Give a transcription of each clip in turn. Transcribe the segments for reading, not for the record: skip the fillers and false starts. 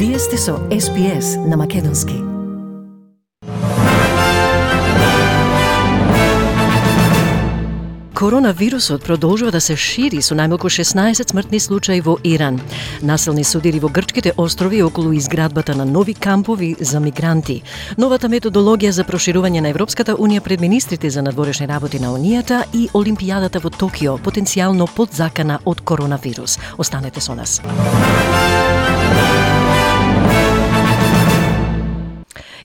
Вие сте со SPS на Македонски. Коронавирусот продолжува да се шири со најмалку 16 смртни случаи во Иран. Насилни судири во грчките острови околу изградбата на нови кампови за мигранти. Новата методологија за проширување на Европската унија пред министрите за надворешни работи на Унијата и Олимпијадата во Токио, потенцијално подзакана од коронавирус. Останете со нас.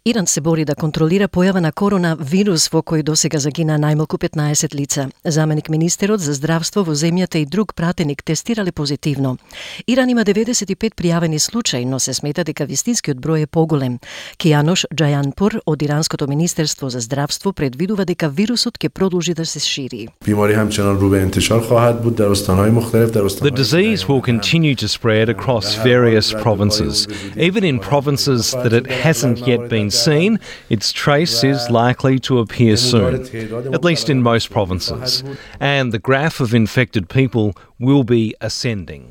Иран се бори да контролира појава на коронавирус во кој досега загина најмалку 15 лица. Заменик министерот за здравство во земјата и друг пратеник тестирале позитивно. Иран има 95 пријавени случаи, но се смета дека вистинскиот број е поголем. Кијанош Џајанпур од Иранското министерство за здравство предвидува дека вирусот ќе продолжи да се шири. The disease will continue to spread across various provinces. Even in provinces that it hasn't yet been seen, its trace is likely to appear soon, at least in most provinces, and the graph of infected people will be ascending.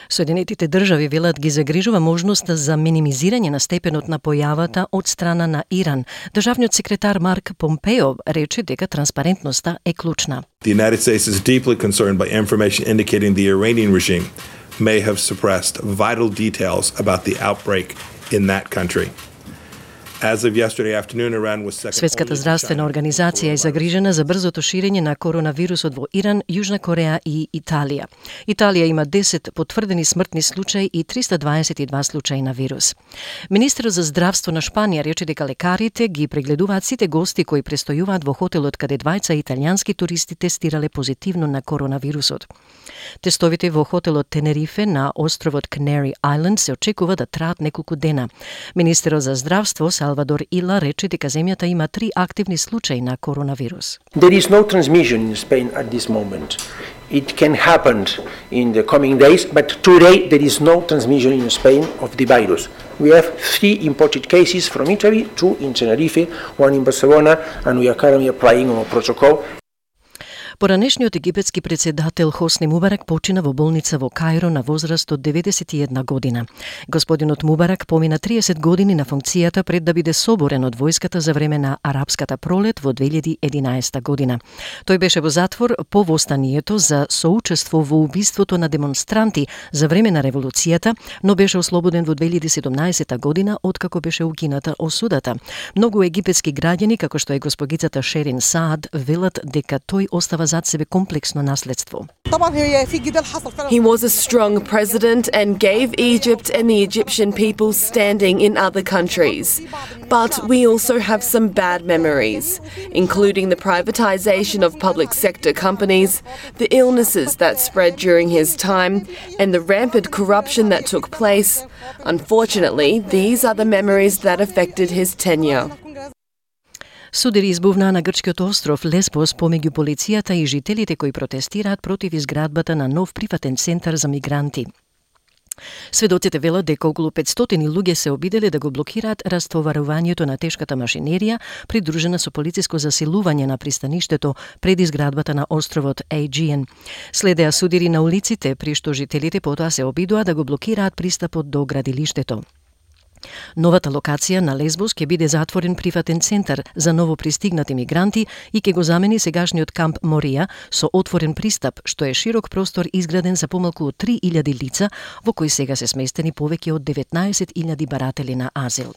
Соединетите држави велат ги загрижува можноста за минимизирање на степенот на појавата од страна на Иран. Државниот секретар Марк Помпео рече дека транспарентноста е клучна. The United States is deeply concerned by information indicating the Iranian regime may have suppressed vital details about the outbreak in that country. Светската здравствена организација е загрижена за брзото ширење на коронавирусот во Иран, Јужна Кореја и Италија. Италија има 10 потврдени смртни случаи и 322 случаи на вирус. Министерот за здравство на Шпанија рече дека лекарите ги прегледуваат сите гости кои престојуваат во хотелот каде двајца италијански туристи тестирале позитивно на коронавирусот. Тестовите во хотелот Тенерифе на островот Canary Island се очекува да траат неколку дена. Министерот за здравство Салвадор Ила рече дека земјата има 3 активни случаи на коронавирус. There is no transmission in Spain at this moment. It can happen in the coming days, but today there is no transmission in Spain of the virus. We have 3 imported cases from Italy, 2 in Tenerife, 1 in Barcelona, and we are currently applying on a protocol. Поранешниот египетски председател Хосни Мубарак почина во болница во Каиро на возраст од 91 година. Господинот Мубарак помина 30 години на функцијата пред да биде соборен од војската за време на арапската пролет во 2011 година. Тој беше во затвор по востанието за соучество во убиството на демонстранти за време на револуцијата, но беше ослободен во 2017 година откако беше укината осудата. Многу египетски граѓани, како што е госпогицата Шерин Саад, велат дека тој остава зад себе комплексно наследство. He was a strong president and gave Egypt and the Egyptian people standing in other countries. But we also have some bad memories, including the privatization of public sector companies, the illnesses that spread during his time, and the rampant corruption that took place. Unfortunately, these are the memories that affected his tenure. Судири избувнаа на грчкиот остров Леспос помеѓу полицијата и жителите кои протестираат против изградбата на нов приватен центар за мигранти. Сведоците велат дека околу 500 луѓе се обиделе да го блокираат растоварувањето на тешката машинерија, придружена со полициско засилување на пристаништето пред изградбата на островот Aegean. Следеа судири на улиците, при што жителите потоа се обидоа да го блокираат пристапот до градилиштето. Новата локација на Лесбос ќе биде затворен приватен центар за ново пристигнати мигранти и ќе го замени сегашниот камп Морија со отворен пристап, што е широк простор изграден за помалку од 3000 лица, во кој сега се сместени повеќе од 19.000 баратели на азил.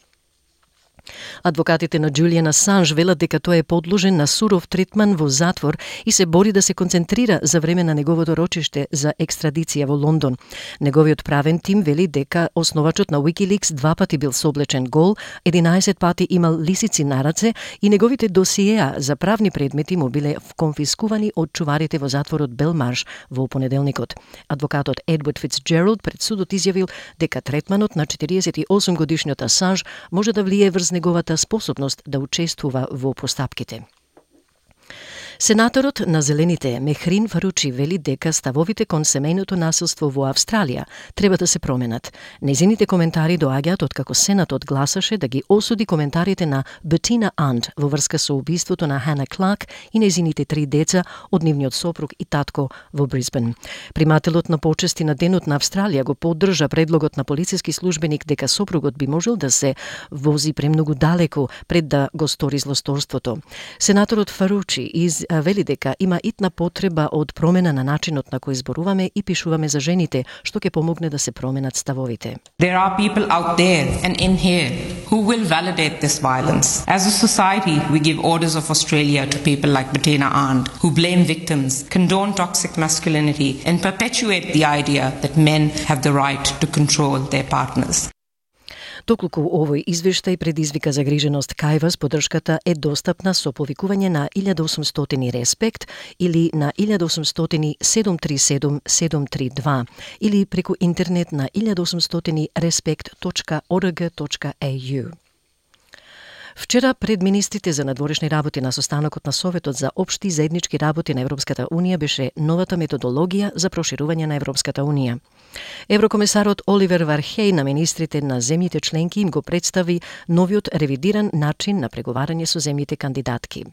Адвокатите на Џулијан Асанж велат дека тој е подложен на суров третман во затвор и се бори да се концентрира за време на неговото рочиште за екстрадиција во Лондон. Неговиот правен тим вели дека основачот на Wikileaks 2 пати бил соблечен гол, 11 пати имал лисици на раце и неговите досиеа за правни предмети му биле конфискувани од чуварите во затворот Белмарш во понеделникот. Адвокатот Едвард Фицџералд пред судот изјавил дека третманот на 48 годишниот Асанж може да влие врз неговата способност да учествува во постапките. Сенаторот на Зелените Мехрин Фаручи вели дека ставовите кон семејното насилство во Австралија треба да се променат. Незините коментари доаѓаат откако Сенатот гласаше да ги осуди коментарите на Bettina Arndt во врска со убиството на Hannah Clark и незините 3 деца од нивниот сопруг и татко во Брисбен. Примателот на почести на Денот на Австралија го поддржа предлогот на полициски службеник дека сопругот би можел да се вози премногу далеку пред да го стори злосторството. Сенаторот Фаручи вели дека има итна потреба од промена на начинот на кој зборуваме и пишуваме за жените, што ќе помогне да се променат ставовите. There are people out there and in here who will validate this violence. As a society, we give orders of Australia to people like Bettina Arndt, who blame victims, condone toxic masculinity, and perpetuate the idea that men have the right to control their partners. Доколку овој извештај предизвика загриженост кај вас, поддршката е достапна со повикување на 1800 Респект или на 1800 737 732 или преку интернет на 1800 respect.org.au. Вчера пред министрите за надворешни работи на состанокот на Советот за општи заеднички работи на Европската Унија беше новата методологија за проширување на Европската Унија. Еврокомесарот Оливер Вархеј на министрите на земјите членки им го представи новиот ревидиран начин на преговарање со земјите кандидатки.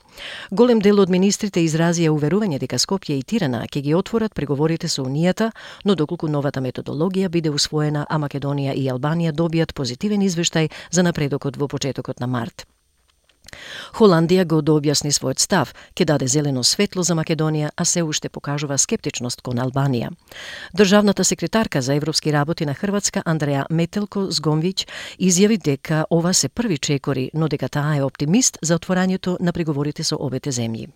Голем дел од министрите изразија уверување дека Скопје и Тирана ќе ги отворат преговорите со Унијата, но доколку новата методологија биде усвоена, а Македонија и Албанија добијат позитивен извештај за напредокот во почетокот на март. Холандија го дообјасни својот став, ќе даде зелено светло за Македонија, а се уште покажува скептичност кон Албанија. Државната секретарка за европски работи на Хрватска Андреја Метелко-Згомвиќ изјави дека ова се први чекори, но дека таа е оптимист за отворањето на преговорите со обете земји.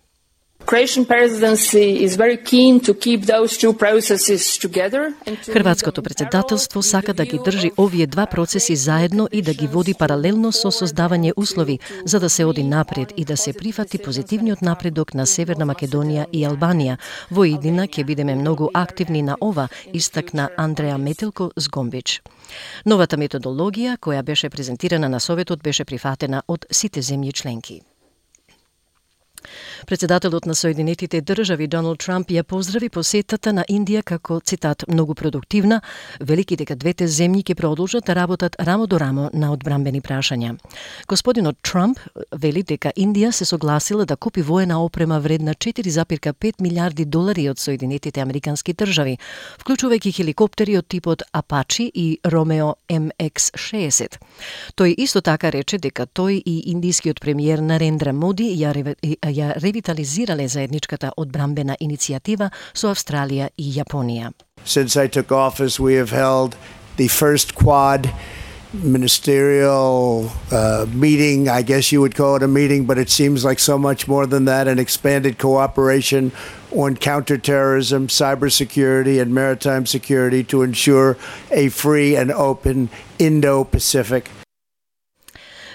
Croatian presidency is very keen to keep those two processes together. Хрватското председателство сака да ги држи овие два процеси заедно и да ги води паралелно со создавање услови за да се оди напред и да се прифати позитивниот напредок на Северна Македонија и Албанија. Во иднина ќе бидеме многу активни на ова, истакна Андреја Метелко-Згомвиќ. Новата методологија која беше презентирана на Советот беше прифатена од сите земји членки. Председателот на Соединетите држави Доналд Трамп ја поздрави посетата на Индија како, цитат, многу продуктивна, велики дека двете земји ќе продолжат да работат рамо до рамо на одбрамбени прашања. Господинот Трамп вели дека Индија се согласила да купи воена опрема вредна $4,5 милиарди од Соединетите американски држави, вклучувајќи хеликоптери од типот Апачи и Ромео MX-60. Тој исто така рече дека тој и индискиот премиер Нарендра Моди ја ревитализирале заедничката одбрамбена иницијатива со Австралија и Јапонија. Since I took office, we have held the first Quad ministerial meeting. I guess you would call it a meeting, but it seems like so much more than that, an expanded cooperation on counterterrorism, cybersecurity, and maritime security to ensure a free and open Indo-Pacific.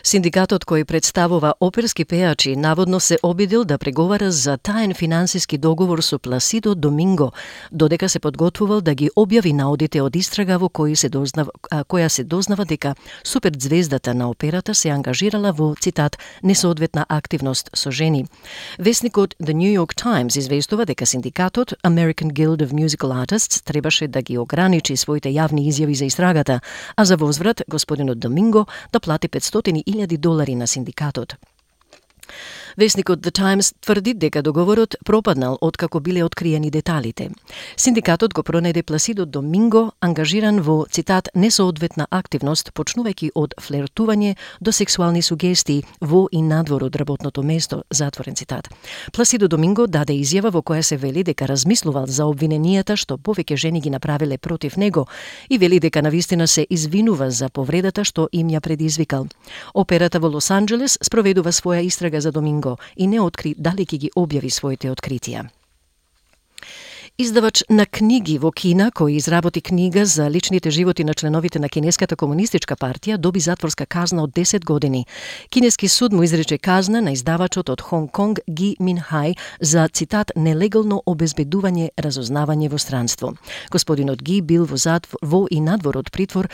Синдикатот кој представува оперски пејачи наводно се обидел да преговара за таен финансиски договор со Пласидо Доминго, додека се подготвувал да ги објави наодите од истрага во која се дознава дека суперзвездата на операта се ангажирала во, цитат, несоодветна активност со жени. Весникот The New York Times известува дека синдикатот American Guild of Musical Artists требаше да ги ограничи своите јавни изјави за истрагата, а за возврат господинот Доминго да плати $500,000 на синдикатот. Весникот The Times тврди дека договорот пропаднал откако биле откриени деталите. Синдикатот го пронајде Пласидо Доминго ангажиран во, цитат, несоодветна активност, почнувајќи од флертување до сексуални сугестии во и надвор од работното место, затворен цитат. Пласидо Доминго даде изјава во која се вели дека размислувал за обвиненијата што повеќе жени ги направиле против него и вели дека навистина се извинува за повредата што им ја предизвикал. Операта во Лос Анџелес спроведува своја истрага за Доминго и не откри дали ќе ги објави своите откритија. Издавач на книги во Кина, кој изработи книга за личните животи на членовите на Кинеската комунистичка партија, доби затворска казна од 10 години. Кинески суд му изрече казна на издавачот од Хонг Конг Ги Минхај за, цитат, нелегално обезбедување разузнавање во странство. Господинот Ги бил во и надвор од притвор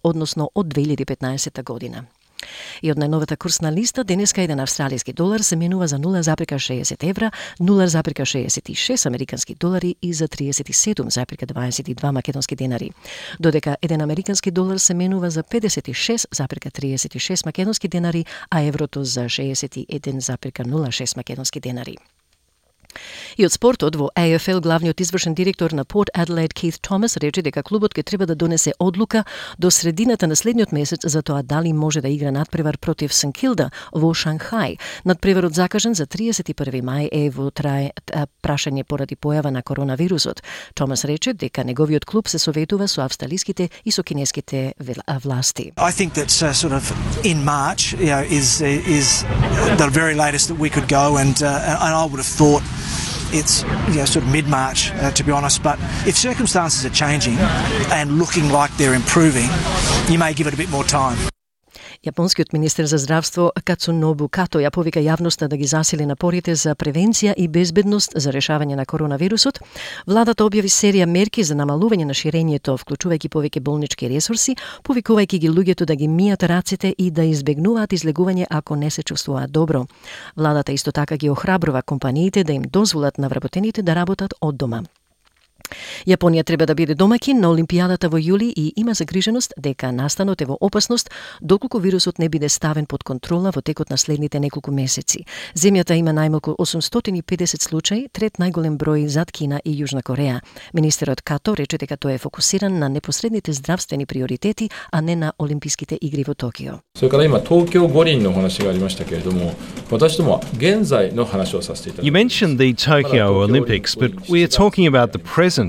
односно од 2015 година. И од најновата курсна листа, денеска еден австралиски долар се менува за 0,60 евра, 0,66 американски долари и за 37,22 македонски денари. Додека еден американски долар се менува за 56,36 македонски денари, а еврото за 61,06 македонски денари. И од спортот во AFL главниот извршен директор на Port Adelaide Keith Thomas рече дека клубот ќе треба да донесе одлука до средината на следниот месец за тоа дали може да игра надпревар против St Kilda во Шанхај. Надпреварот закажан за 31 мај е во трае прашање поради појава на коронавирусот. Томас рече дека неговиот клуб се советува со австралиските и со кинеските власти. I think that sort of in March, is the very latest that we could go, and I would have thought it's sort of mid-March, to be honest. But if circumstances are changing and looking like they're improving, you may give it a bit more time. Јапонскиот министер за здравство Кацунобу Като ја повика јавноста да ги засили напорите за превенција и безбедност за решавање на коронавирусот. Владата објави серија мерки за намалување на ширењето, вклучувајќи повеќе болнички ресурси, повикувајќи ги луѓето да ги мијат рацете и да избегнуваат излегување ако не се чувствуваат добро. Владата исто така ги охрабрува компаниите да им дозволат на вработените да работат од дома. Јапонија треба да биде домаќин на Олимпијадата во јули и има загриженост дека настанот е во опасност доколку вирусот не биде ставен под контрола во текот на следните неколку месеци. Земјата има најмалку 850 случаи, трет најголем број зад Кина и Јужна Кореја. Министерот Като рече дека тој е фокусиран на непосредните здравствени приоритети, а не на Олимписките игри во Токио. それから今東京五輪の話がありましたけれども、私ども現在の話をさせていただきます。 You mentioned the Tokyo Olympics, but we are talking about the present.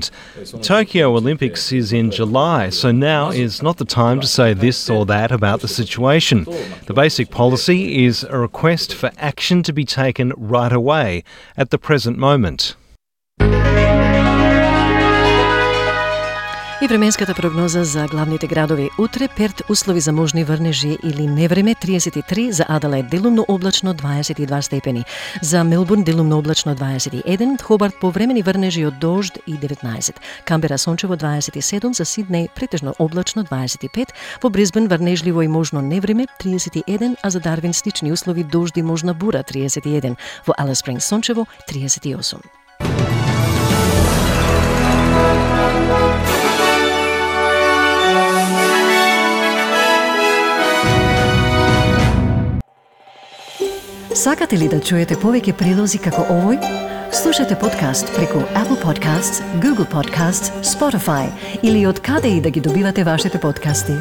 Tokyo Olympics is in July, so now is not the time to say this or that about the situation. The basic policy is a request for action to be taken right away at the present moment. И временската прогноза за главните градови. Утре Перт услови за можни врнежи или невреме 33, за Аделаид делумно облачно 22 степени, за Мелбурн делумно облачно 21, Хобарт повремени врнежи од дожд и 19, Камбера сончево 27, за Сиднеј претежно облачно 25, во Брисбен врнежливо и можно невреме 31, а за Дарвин слични услови дожд и можна бура 31, во Алис Спрингс сончево 38. Сакате ли да чуете повеќе прилози како овој? Слушате подкаст преку Apple Podcasts, Google Podcasts, Spotify или од каде и да ги добивате вашите подкасти.